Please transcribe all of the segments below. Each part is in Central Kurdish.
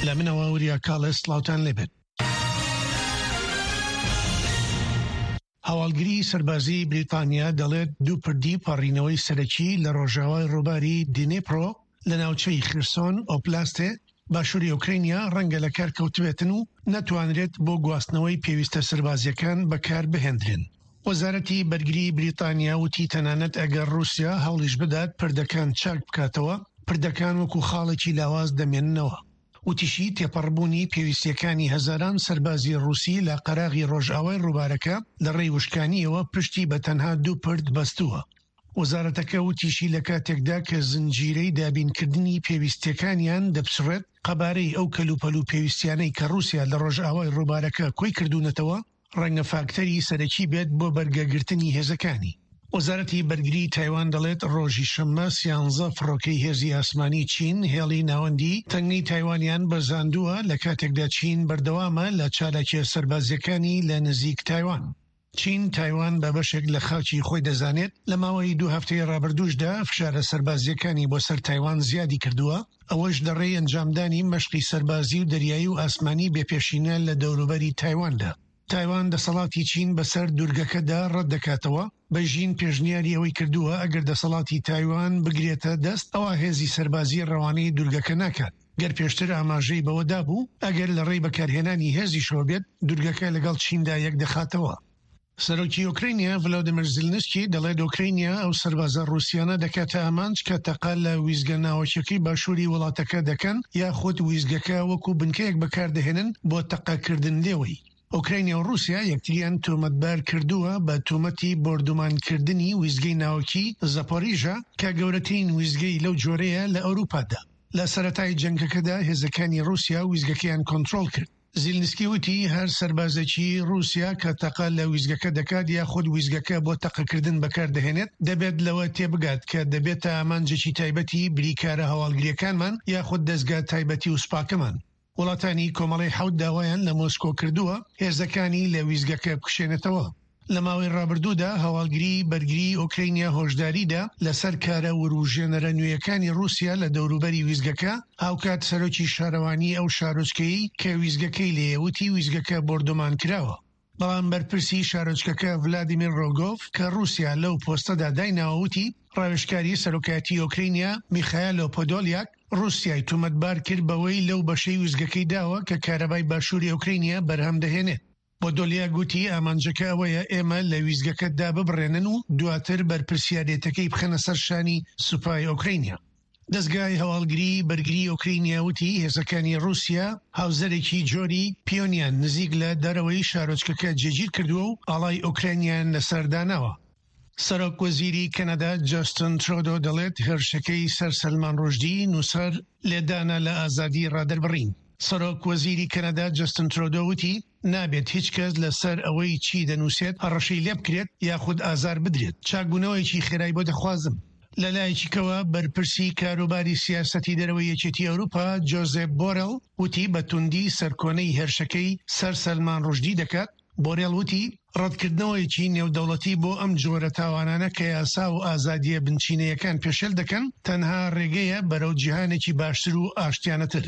لە منەوە وریا کاڵێ سڵاوتان لێبێت. هەواڵگری سەربازیی بریتانیا دەڵێت دوو پردی پەڕینەوەی سەرەکی لە ڕۆژاوای ڕووباری دنیپرۆ لە ناوچەی خیرسۆن ئۆبلاستێ باشووری ئۆکرەینیا ڕەنگە لەکار کەوتبێتن و نەتوانرێت بۆ گواستنەوەی پێویستە سەربازییەکان بەکار بهێندرێن. وەزارەتی بەرگری بریتانیا وتی تەنانەت ئەگەر ڕووسیا هەوڵیش بدات پردەکان چاک بکاتەوە، پردەکان وەکو خاڵێکی لاواز دەمێننەوە. وتیشی، تێپەڕبوونی پێویستییەکانی هەزاران سەربازی ڕووسی لە قەراغی ڕۆژئاوای ڕووبارەکە لە ڕێی وشکانییەوە پشتی بە تەنها دوو پرد بەستووە. وەزارەتەکە وتیشی، لە کاتێکدا کە زنجیرەی دابینکردنی پێویستییەکانیان دەپچڕێت، قەبارەی ئەو کەلوپەل و پێویستیانەی کە ڕووسیا لە ڕۆژئاوای ڕووبارەکە کۆی کردوونەتەوە، ڕەنگە فاکتەری سەرەکی بێت بۆ بەرگەگرتنی هێزەکانی. وەزارەتی بەرگری تایوان دەڵێت ڕۆژی شەممە سیانزە فڕۆکەی هێزی ئاسمانی چین هێڵی ناوەندی تەنگەی تایوانیان بەزاندووە لە کاتێکدا چین بەردەوامە لە چالاکیە سەربازیەکانی لە نزیک تایوان. چین تایوان بە بەشێک لە خاکی خۆی دەزانێت، لە ماوەی دوو هەفتەی ڕابردووشدا فشارە سەربازیەکانی بۆ سەر تایوان زیادی کردووە، ئەوەش لە ڕێی ئەنجامدانی مەشقی سەربازی و دەریایی و ئاسمانی بێپێشینە لە دەوروبەری تایواندا. تایوان دەسەڵاتی چین بەسەر دوورگەکەدا ڕەتدەکاتەوە، بەیژین پێشنیاری ئەوەی کردووە ئەگەر دەسەڵاتی تایوان بگرێتە دەست ئەوا هێزی سەربازی ڕەوانەی دوورگەکە ناکات، گەر پێشتر ئاماژەی بەوە دابوو ئەگەر لە ڕێی بەکارهێنانی هێزیشەوە بێت دوورگەکە لەگەڵ چیندا یەکدەخاتەوە. سەرۆکی ئۆکرەینیا ڤلادیمیر زیلنسکی دەڵێت ئۆکرەینیا ئەو سەربازە ڕووسیانە دەکاتە ئامانج کە تەقە لە ویستگە ناوەکیەکەی باشووری وڵاتەکە دەکەن یاخود ویستگەکە وەکو بنکەیەک بەکاردەهێنن بۆ تەقەکردن لێوەی. ئۆکرەینیا و ڕووسیا یەکتریان تۆمەتبار کردووە بە تۆمەتی بۆردومانکردنی ویستگەی ناوەکی زاپۆریژا کە گەورەترین ویستگەی لەو جۆرەیە لە ئەوروپادا. لە سەرەتای جەنگەکەدا هێزەکانی ڕووسیا ویستگەکەیان کۆنترۆڵ کرد. زیلنسکی وتی، هەر سەربازێکی ڕووسیا کە تەقە لە ویستگەکە دەکات یاخود ویستگەکە بۆ تەقەکردن بەکاردەهێنێت، دەبێت لەوە تێبگات کە دەبێتە ئامانجێکی تایبەتی بریکارە هەواڵگرییەکانمان یاخود دەزگا تایبەتی و سوپاکەمان. وڵاتانی کۆمەڵەی حەوت داوایان لە مۆسکۆ کردووە هێزەکانی لە ویستگەکە بکشێنێتەوە. لە ماوەی ڕابردوودا هەواڵگریی بەرگریی ئۆکرەینیا هۆشداریدا لەسەر کارە وروژێنەرە نوێیەکانی ڕووسیا لە دەوروبەری ویستگەکە، هاوکات سەرۆکی شارەوانیی ئەو شارۆچکەیەی کە ویستگەکەی لێیە وتی ویستگەکە بۆردومان کراوە. بەڵام بەرپرسی شارۆچکەکە ڤلادیمیر ڕۆگۆڤ کە ڕووسیا لەو پۆستەدا دایناوە وتی ڕاوێژکاری سەرۆکایەتی ئۆکرەینیا میخایلۆ پۆدۆلیاک ڕووسیای تومەتبار کرد بەوەی لەو بەشەی ویستگەکەی داوە کە کارەبای باشووری ئۆکرەینیا بەرهەم دەهێنێت. پۆدۆلیاک گوتی، ئامانجەکە ئەوەیە ئێمە لە ویستگەکە داببڕێنن و دواتر بەرپرسیارێتەکەی بخەنە سەر شانی سوپای ئۆکرەینیا. دەزگای هەواڵگریی بەرگریی ئۆکرەینیا وتی، هێزەکانی ڕووسیا هاوزەرێکی جۆری پیۆنیان نزیک لە دەرەوەی شارۆچکەکە جێگیر کردووە و ئاڵای ئۆکرانیایان لەسەر داناوە. سەرۆک وەزیری کەنەدا جاستن ترۆدۆ دەڵێت هێرشەکەی سەر سەلمان ڕوشدی نووسەر لێدانە لە ئازادی ڕادەربڕین. سەرۆک وەزیری کەنەدا جەستن ترۆدۆ وتی نابێت هیچ کەس لەسەر ئەوەی چی دەنووسێت هەڕەشەی لێبکرێت یاخود ئازار بدرێت، چاکبوونەوەیەکی خێرای بۆ دەخوازم. لەلایەکی کەوە بەرپرسی کاروباری سیاسەتی دەرەوەی یەکێتی ئەوروپا جۆزێپ بۆرێڵ وتی بە توندی سەرکۆنەی هێرشەکەی سەر سەلمان ڕوشدی دەکات، بۆرێڵ وتی، ڕەتکردنەوەیەکی نێودەوڵەتی بۆ ئەم جۆرە تاوانانە کە یاسا و ئازادییە بنچینەیەکان پێشێل دەکەن، تەنها ڕێگەیە بەرەو جیهانێکی باشتر و ئاشتیانەتر.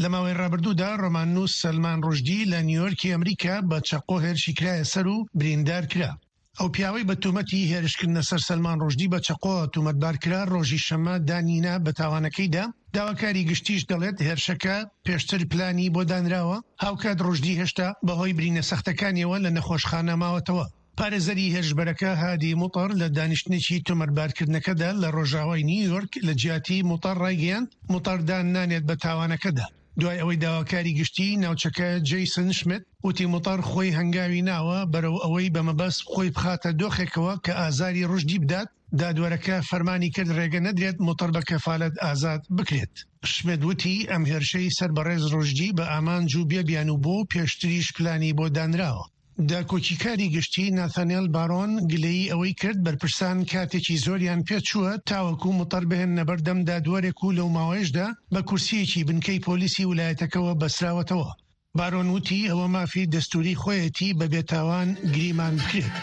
لە ماوەی ڕابردوودا ڕۆماننووس سەلمان ڕوشدی لە نیویۆرکی ئەمریکا بە چەقۆ هێرشی کرایە سەر و بریندار کرا. ئەو پیاوەی بە تۆمەتی هێرشکردنە سەر سەلمان ڕوشدی بە چەقۆ تۆمەتبار کرا، ڕۆژی شەممە دانی نا بە تاوانەکەیدا، داواکاری گشتیش دەڵێت هێرشەکە پێشتر پلانی بۆ دانراوە، هاوکات ڕوشدی هێشتا بەهۆی برینە سەختەکانیەوە لە نەخۆشخانە ماوەتەوە. پارێزەری هێرشبەرەکە هادی موتەر لە دانیشتنێکی تۆمەتبارکردنەکەدا لە ڕۆژاوای نیویۆرک لە جیاتی موتەر ڕایگەیاند، موتەر دان نانێت بە تاوانەکەدا. دوای ئەوەی داواکاری گشتیی ناوچەکە جەیسن شمت وتی موتەر خۆی هەنگاوی ناوە بەرەو ئەوەی بە مەبەست خۆی بخاتە دۆخێکەوە کە ئازاری ڕوشدی بدات، دادوەرەکە فەرمانی کرد ڕێگە نەدرێت موتەر بە کەفالەت ئازاد بکرێت. شمت وتی ئەم هێرشەی سەر بەڕێز ڕوشدی بە ئامانج و بێ بیانوو بوو و پێشتریش پلانی بۆ دانراوە. داکۆکیکاری گشتی ناثانێل بارۆن گلەیی ئەوەی کرد بەرپرسان کاتێکی زۆریان پێچووە تاوەکو موتەر بهێننە بەردەم دادوەرێک و لەو ماوەیەشدا بە کورسییەکی بنکەی پۆلیسی ولایەتەکەوە بەستراوەتەوە. بارۆن وتی ئەوە مافی دەستوری خۆیەتی بە بێتاوان گریمان بکرێت.